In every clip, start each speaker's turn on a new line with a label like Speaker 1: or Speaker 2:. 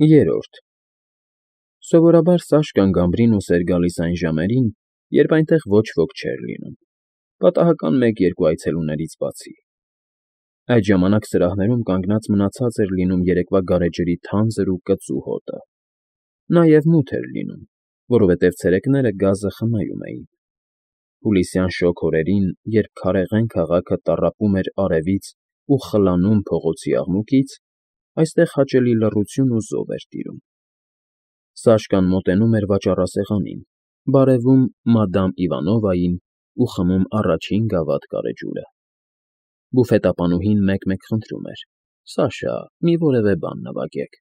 Speaker 1: Երրորդ Սովորաբար Սաշկան Գամբրինուս էր գալիս այն ժամերին, երբ այնտեղ ոչ ոք չէր լինում, պատահական մեկ֊երկու այցելուներից բացի. այդ ժամանակ սրահներում կանգնած մնացած էր լինում երեկվա գարեջրի թանձր ու կծու հոտը, նաև մութ էր լինում, որովհետև ցերեկները գազը խնայում էին։ Հուլիսյան շոգ օրերին, երբ քարեղեն քաղաքը տառապում էր արևից ու խլանում փողոցի աղմուկից, այստեղ հաճելի լռություն ու զով էր տիրում։ Սաշկան մոտենում էր վաճառասեղանին, բարևում մադամ Իվանովային ու խմում առաջին գավաթ գարեջուրը։ Բուֆետապանուհին մեկ֊մեկ խնդրում էր. «Սաշա, մի որևէ բան նվագեք»։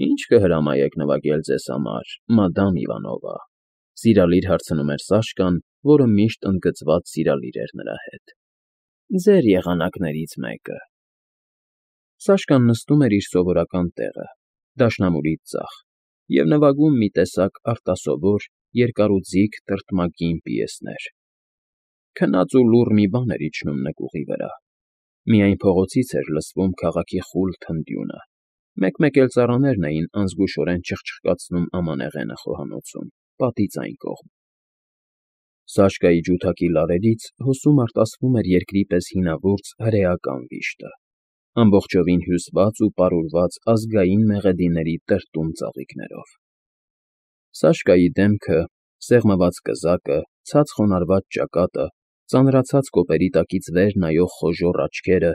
Speaker 1: «Ի՞նչ կհրամայեք նվագել ձեզ համար, մադամ Իվանովա», սիրալիր հարցնում էր Սաշկան, որը միշտ ընդգծված սիրալիր էր նրա հետ։ «Ձեր եղանակներից մեկը»։ Սաշկան նստում էր իր սովորական տեղը, դաշնամուրից ձախ, և նվագում մի տեսակ արտասովոր, երկարուձիգ տրտմակին պիեսներ։ Քնած ու լուռ մի բան էր իջնում նկուղի վրա, միայն փողոցից էր լսվում քաղաքի խուլ թնդյունը, մեկ֊մեկ էլ ծառաներն էին անզգուշորեն չխչկացնում ամանեղենը խոհանոցում, պատից այն կողմ։ Սաշկայի ջութակի լարերից հոսում արտասվում էր երկրի պես հինավուրց հրեական վիշտը, ամբողջովին հյուսված ու պարուրված ազգային մեղեդիների տրտում ծաղիկներով։ Սաշկայի դեմքը, սեղմված կզակը, ցած խոնարհված ճակատը, ծանրացած կոպերի տակից վեր նայող խոժոռ աչքերը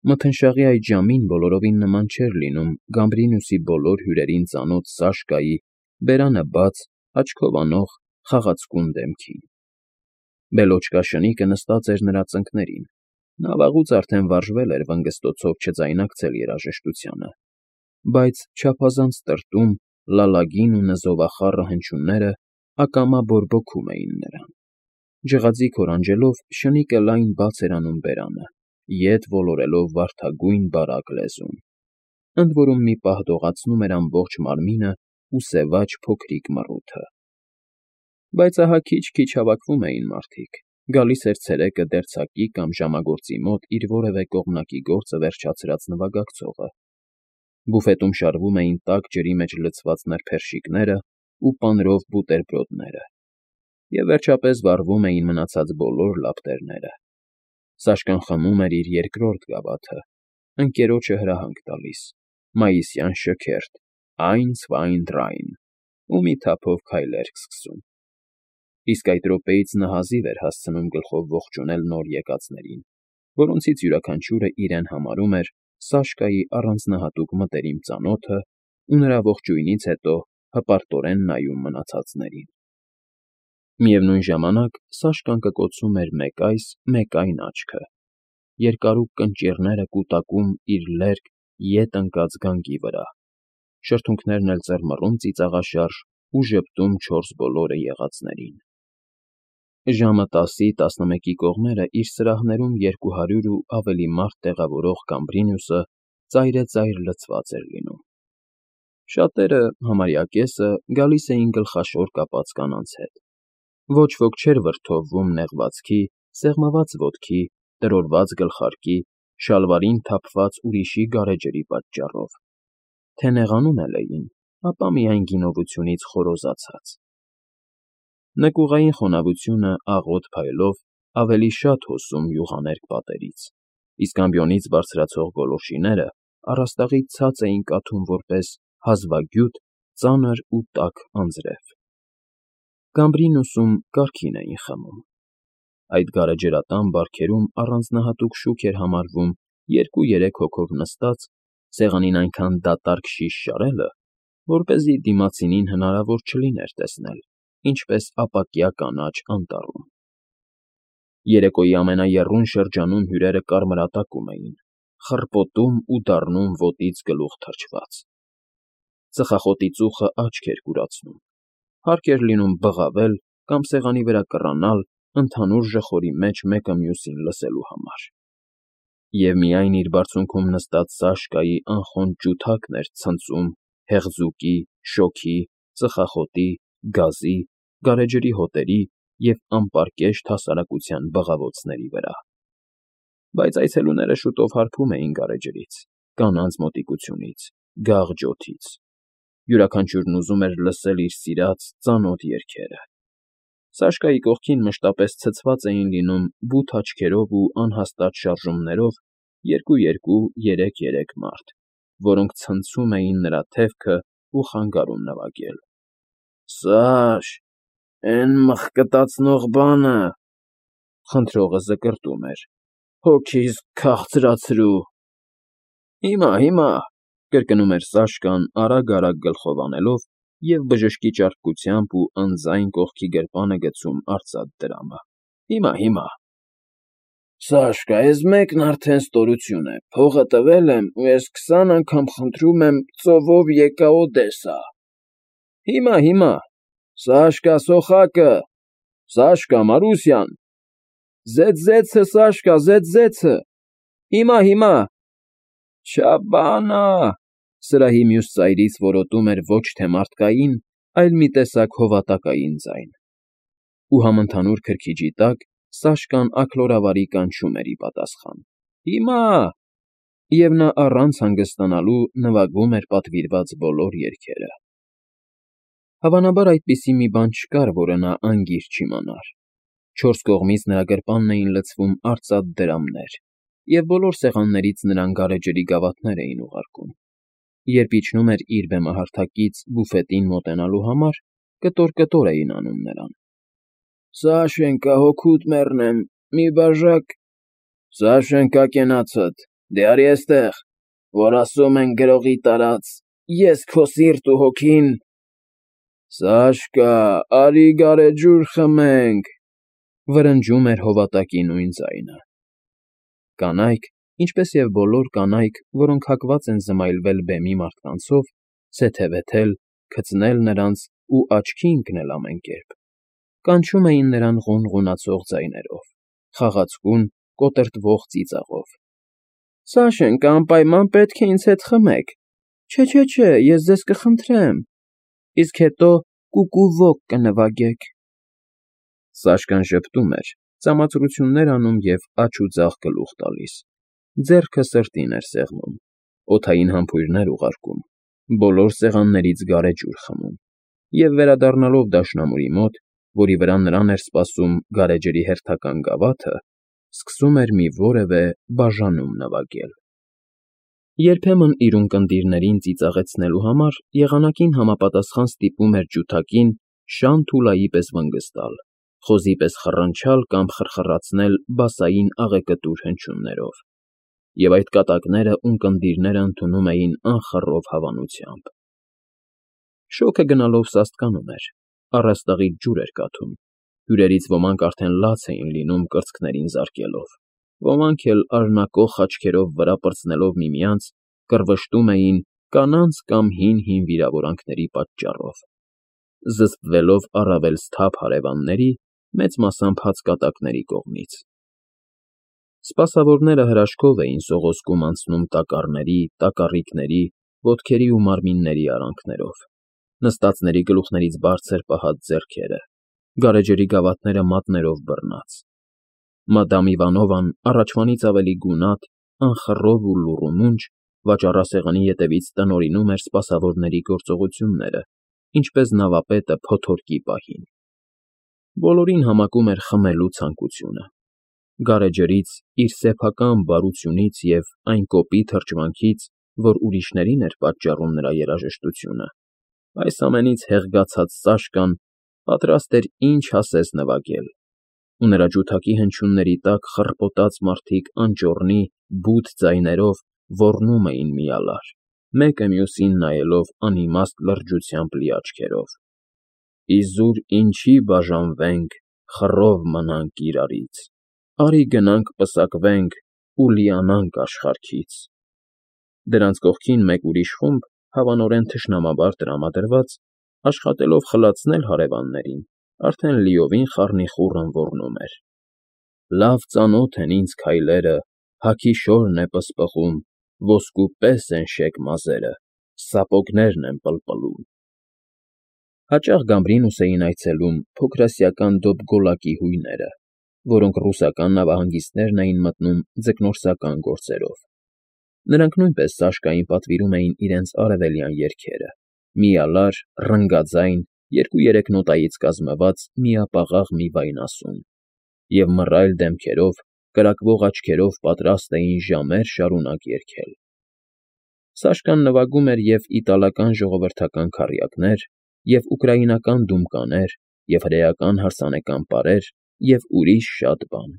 Speaker 1: մթնշաղի այդ ժամին բոլորովին նման չէր լինում Գամբրինուսի բոլոր հյուրերին ծանոթ Սաշկայի բերանը բաց, աչքով անող, խաղացկուն դեմքին։ Բելոչկա շնիկը նստած էր նրա ծնկներին, նա վաղուց արդեն վարժվել էր վնգստոցով չձայնակցել երաժշտությանը, բայց չափազանց տրտում, լալագին ու նզովախառը հնչյունները ակամա բորբոքում էին նրան։ Ջղաձիգ օրանջելով շնիկը լայն բաց էր անում բերանը, ետ ոլորելով վարդագույն բարակ լեզուն, ընդ որում մի պահ դողացնում էր ամբողջ մարմինը ու սևաջ փոքրիկ մռութը։ Բայց ահա քիչ֊քիչ հավաքվում էին մարդիկ, գալիս էր ցերեկը դերձակի կամ ժամագործի մոտ իր որևէ կողմնակի գործը վերջացրած նվագակցողը։ Բուֆետում շարվում էին տաք ջրի մեջ լցված նրբերշիկները ու պանրով բուտերբրոդները, և վերջապես վառվում էին մնացած բոլոր լապտերները։ Սաշկան խմում էր իր երկրորդ գավաթը, ընկերոջը հրահանգ տալիս, մայիսյան շքերթ, «Eins, zwei, drei», ու մի թափով քայլերգ սկսում։ Իսկ այդ րոպեից նա հազիվ էր հասցնում գլխով ողջունել նոր եկածներին, որոնցից յուրաքանչյուրը իրեն համարում էր Սաշկայի առանձնահատուկ մտերիմ ծանոթը ու նրա ողջույնից հետո հպարտորեն նայում մնացածներին։ Միևնույն ժամանակ Սաշկան կկոցում էր մեկ այս, մեկ այն աչքը, երկարուկ կնճիռները կուտակում իր լերկ, ետ ընկած գանգի վրա, շրթունքներն էլ ծռմռում ծիծաղաշարժ ու ժպտում չորս բոլորը եղածներին։ Ժամը 10-11-ի կողմերը իր սրահներում 200 ու ավելի մարդ տեղավորող Գամբրինուսը ծայրեծայր լցված էր լինում։ Շատերը, համարյա կեսը, գալիս էին գլխաշոր կապած կանանց հետ։ Ոչ ոք չէր վրդովվում նեղվածքի, սեղմված ոտքի, տրորված գլխարկի, շալվարին թափված ուրիշի գարեջրի պատճառով, թե նեղանում էլ էին, ապա միայն գինովությունից խորոզացած։ Նկուղային խոնավությունը աղոտ փայլով ավելի շատ հոսում յուղաներկ պատերից, իսկ ամբիոնից բարձրացող գոլորշիները առաստաղից ցած էին կաթում որպես հազվագյուտ, ծանր ու տաք անձրև։ Գամբրինուսում կարգին էին խմում։ Այդ գարեջրատան բարքերում առանձնահատուկ շուք էր համարվում 2-3 հոգով նստած, սեղանին այնքան դատարկ շիշ շարելը, որպեսզի դիմացինին հնարավոր չլիներ տեսնել, ինչպես ապակյա կանաչ անտառում։ Երեկոյի ամենաեռուն շրջանում հյուրերը կարմրատակում էին, խռպոտում ու դառնում ոտից գլուխ թրջված։ Ծխախոտի ծուխը աչք էր կուրացնում, հարկ էր լինում բղավել կամ սեղանի վրա կռանալ ընդհանուր ժխորի մեջ մեկը մյուսին լսելու համար։ Եվ միայն իր բարձունքում նստած Սաշկայի անխոնջ ջութակն էր ցնծում հեղձուկի, շոգի, ծխախոտի, գազի, գարեջրի հոտերի և անպարկեշտ հասարակության բղավոցների վրա։ Բայց այցելուները շուտով հարբում էին գարեջրից, կանանց մոտիկությունից, գաղջոթից։ Յուրաքանչյուրն ուզում էր լսել իր սիրած ծանոթ երգերը։ Սաշկայի կողքին մշտապես ցցված էին լինում բութ աչքերով ու անհաստատ շարժումներով երկու-երկու, երեք֊երեք մարդ, որոնք ցնցում էին նրա թևքը ու խանգարում նվագել։ «Սաշ, էն մխկտացնող բանը,֊ խնդրողը զկրտում էր,֊ հոգիս քաղցրացրու»։ Հիմա,֊ կրկնում էր Սաշկան արագ֊արագ գլխով անելով և բժշկի ճարպկությամբ ու անձայն կողքի գրպանը գցում արծաթ դրամը։ Հիմա։ «Սաշկա, էս մեկն արդեն ստորություն է, փողը տվել եմ ու էս 20 անգամ խնդրում եմ ծովով եկա Օդեսա։ Հիմա, Սաշկա, սոխակը, Սաշկա, Մարուսյան, զեծ֊զեցը, Սաշկա, զեծ֊զեցը, հիմա։ Չաբանա,֊ սրահի մյուս ծայրից որոտում էր ոչ թե մարդկային, այլ մի տեսակ հովատակային ձայն։ Ու համընդհանուր քրքիջի տակ Սաշկան աքլորավարի կանչում էր ի պատասխան. «Հիմա», և նա առանց հանգստանալու նվագում էր պատվիրված բոլոր երգերը։ Հավանաբար այդպիսի մի բան չկար, որը նա անգիր չիմանար։ Չորս կողմից նրա գրպանն էին լցվում արծաթ դրամներ, և բոլոր սեղաններից նրան գարեջրի գավաթներ էին ուղարկում։ Երբ իջնում էր իր բեմահարթակից բուֆետին մոտենալու համար, կտոր֊կտոր էին անում նրան։ «Սաշենկա, հոգուդ մեռնեմ, մի բաժակ…» «Սաշենկա, կենացդ, դե արի էստեղ, որ ասում են գրողի տարած, ես քո սիրտ ու հոգին…» «Սաշկա, արի գարեջուր խմենք»,֊ վրնջում էր հովատակի նույն ձայնը։ Կանայք, ինչպես և բոլոր կանայք, որոնք հակված են զմայլվել բեմի մարդկանցով, թեթևեթել, քծնել նրանց ու աչքի ընկնել ամեն կերպ, կանչում էին նրան ղունղունացող ձայներով, խաղացկուն, կոտրտվող ծիծաղով. «Սաշենկա, անպայման պետք է ինձ հետ խմեք։ Չէ, ես ձեզ կխնդրեմ, իսկ հետո կուկուվոկ կնվագեք»։ Սաշկան ժպտում էր, ծամացրություններ անում և աջ ու ձախ գլուխ տալիս, ձեռքը սրտին էր սեղմում, օդային համբույրներ ուղարկում, բոլոր սեղաններից գարեջուր խմում և, վերադառնալով դաշնամուրի մոտ, որի վրա նրան էր սպասում գարեջրի հերթական գավաթը, սկսում էր մի որևէ բաժանում նվագել։ Երբեմն իր ունկնդիրներին ծիծաղեցնելու համար եղանակին համապատասխան ստիպում էր ջութակին շան թուլայի պես վնգստալ, խոզի պես խռնչալ կամ խրխռացնել բասային աղեկտուր հնչյուններով, և այդ կատակները ունկնդիրները ընդունում էին անխռով հավանությամբ։ Շոգը գնալով սաստկանում էր, առաստաղից ջուր էր կաթում, հյուրերից ոմանք արդեն լաց էին լինում կրծքներին զարկելով, ոմանք էլ արյունակոխ աչքերով վրա պրծնելով միմյանց, կռվշտում էին կանանց կամ հին վիրավորանքների պատճառով, զսպվելով առավել սթափ հարևանների, մեծ մասամբ հացկատակների կողմից։ Սպասավորները հրաշքով էին սողոսկում անցնում տակառների, տակառիկների, ոտքերի ու մարմինների արանքներով, նստածների գլուխներից բարձր պահած ձեռքերը, գարեջրի գավաթները մատներով բռնած։ Մադամ Իվանովան առաջվանից ավելի գունատ, անխռով ու լուռումունջ վաճառասեղանի ետևից տնօրինում էր սպասավորների գործողությունները, ինչպես նավապետը փոթորկի պահին։ Բոլորին համակում էր խմելու ցանկությունը։ Գարեջրից, իր սեփական բարությունից և այն կոպիտ հրճվանքից, որ ուրիշներին էր պատճառում նրա երաժշտությունը, այս ամենից հեղգացած Սաշկան պատրաստ էր ինչ ասես նվագել, ու նրա ջութակի հնչյունների տակ խռպոտած մարդիկ անճոռնի, բութ ձայներով ոռնում էին միալար, մեկը մյուսին նայելով անիմաստ լրջությամբ լի աչքերով. «Իզուր ինչի բաժանվենք, խռով մնանք իրարից, արի գնանք պսակվենք ու լիանանք աշխարհքից»։ Դրանց կողքին մեկ ուրիշ խումբ, հավանորեն թշնամաբար տրամադրված, աշխատելով խլացնել հարևաններին, արդեն լիովին խառնիխուռն ոռնում էր. «Լավ ծանոթ են ինձ քայլերը, հագի շորն է պսպղում, ոսկու պես են շեկ մազերը, սապոգներն են պլպլում»։ Հաճախ Գամբրինուս էին այցելում փոքրասիական Դոբգոլակի հույները, որոնք ռուսական նավահանգիստներն էին մտնում ձկնորսական գործերով։ Նրանք նույնպես Սաշկային պատվիրում էին իրենց արևելյան երգերը, միալար, ռնգաձայն, 2-3 նոտայից կազմված միապաղաղ մի վայնասուն, և մռայլ դեմքերով, կրակվող աչքերով պատրաստ էին ժամեր շարունակ երգել։ Սաշկան նվագում էր և՛ իտալական ժողովրդական քառյակներ, և՛ ուկրաինական դումկաներ, և՛ հրեական հարսանեկան պարեր, և ուրիշ շատ բան։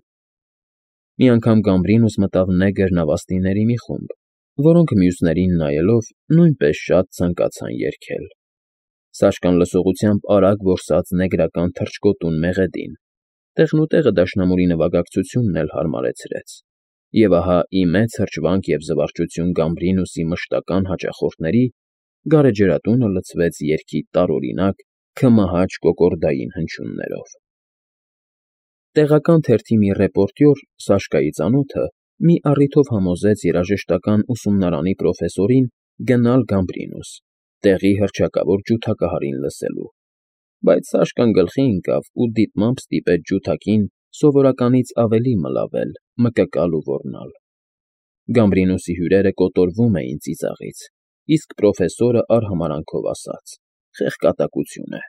Speaker 1: Մի անգամ Գամբրինուս մտավ նեգր նավաստիների մի խումբ, որոնք, մյուսներին նայելով, նույնպես շատ ցանկացան երգել։ Սաշկան լսողությամբ արագ որսաց նեգրական թռչկոտուն մեղեդին, տեղնուտեղը դաշնամուրի նվագակցությունն էլ հարմարեցրեց, և ահա, ի մեծ հրճվանք և զվարճություն Գամբրինուսի մշտական հաճախորդների, գարեջրատունը լցվեց երգի տարօրինակ, քմահաճ կոկորդային հնչյուններով։ Տեղական թերթի մի ռեպորտյոր, Սաշկայի ծանոթը, մի առիթով համոզեց երաժշտական ուսումնարանի պրոֆեսորին գնալ Գամբրինուս, տեղի հռչակավոր ջութակահարին լսելու, բայց Սաշկան գլխի ընկավ ու դիտմամբ ստիպեց ջութակին սովորականից ավելի մլավել, մկկալ ու ոռնալ։ Գամբրինուսի հյուրերը կոտորվում էին ծիծաղից, իսկ պրոֆեսորը արհամարհանքով ասաց. «Խեղճ կատակություն է»,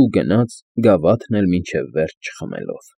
Speaker 1: ու գնաց, գավաթն էլ մինչև վերջ չխմելով։